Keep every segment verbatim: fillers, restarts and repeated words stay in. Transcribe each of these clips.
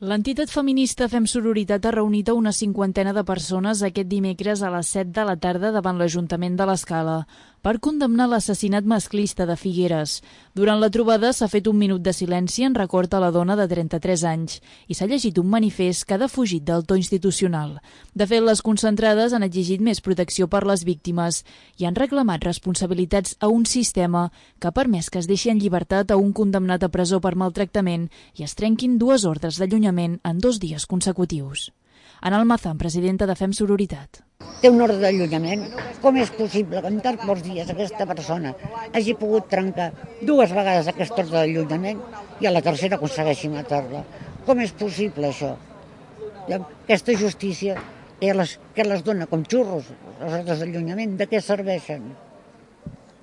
L'entitat feminista Fem Sororitat ha reunit a una cinquantena de persones aquest dimecres a les set de la tarda davant l'Ajuntament de l'Escala per condemnar l'assassinat masclista de Figueres. Durant la trobada s'ha fet un minut de silenci en record a la dona de trenta-tres anys i s'ha llegit un manifest que ha defugit del to institucional. De fet, les concentrades han exigit més protecció per les víctimes i han reclamat responsabilitats a un sistema que ha permès que es deixi en llibertat a un condemnat a presó per maltractament i es trenquin dues ordres d'allunyament en dos dies consecutius. Ana Almazán, presidenta de Fem Sororitat. Té un ordre d'allunyament. Com és possible que en tan pocs dies aquesta persona hagi pogut trencar dues vegades aquest ordre d'allunyament i a la tercera aconsegueixi matar-la? Com és possible això? Aquesta justícia que les, que les dona com xurros, les ordres d'allunyament, de què serveixen?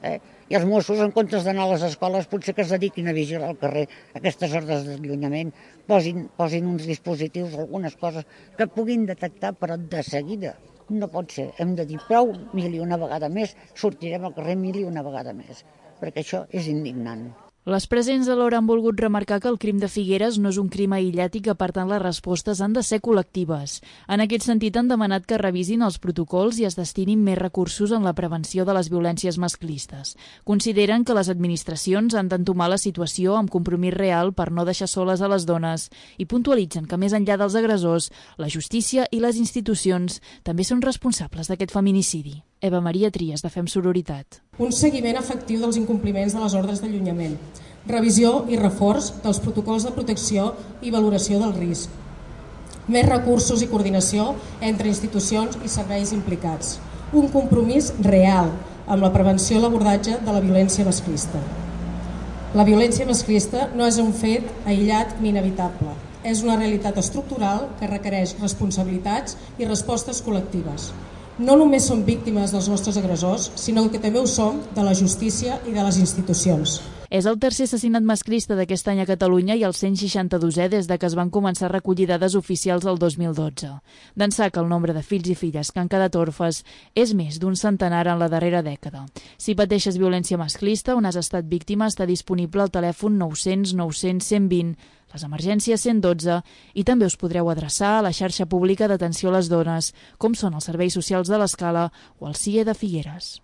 Eh? I els Mossos, en comptes d'anar a les escoles, potser que es dediquin a vigilar al carrer aquestes ordres d'allunyament, posin, posin uns dispositius, algunes coses que puguin detectar, però de seguida. No pot ser. Hem de dir prou, mil i una vegada més, sortirem al carrer mil i una vegada més, perquè això és indignant. Les presents alhora han volgut remarcar que el crim de Figueres no és un crim aïllat i que, per tant, les respostes han de ser col·lectives. En aquest sentit, han demanat que revisin els protocols i es destinin més recursos en la prevenció de les violències masclistes. Consideren que les administracions han d'entomar la situació amb compromís real per no deixar soles a les dones i puntualitzen que, més enllà dels agressors, la justícia i les institucions també són responsables d'aquest feminicidi. Eva Maria Trias, de Fem Sororitat. Un seguiment efectiu dels incompliments de les ordres d'allunyament, revisió i reforç dels protocols de protecció i valoració del risc, més recursos i coordinació entre institucions i serveis implicats, un compromís real amb la prevenció i l'abordatge de la violència masclista. La violència masclista no és un fet aïllat ni inevitable, és una realitat estructural que requereix responsabilitats i respostes col·lectives. No només som víctimes dels nostres agressors, sinó que també ho som de la justícia i de les institucions. És el tercer assassinat masclista d'aquest any a Catalunya i el cent seixanta-dosè des de que es van començar a recollir dades oficials el dos mil dotze. D'ençà que el nombre de fills i filles que han quedat orfes és més d'un centenar en la darrera dècada. Si pateixes violència masclista o n'has estat víctima, està disponible al telèfon nou cents nou cents cent vint, les emergències cent dotze i també us podreu adreçar a la xarxa pública d'atenció a les dones, com són els serveis socials de l'Escala o el C I E de Figueres.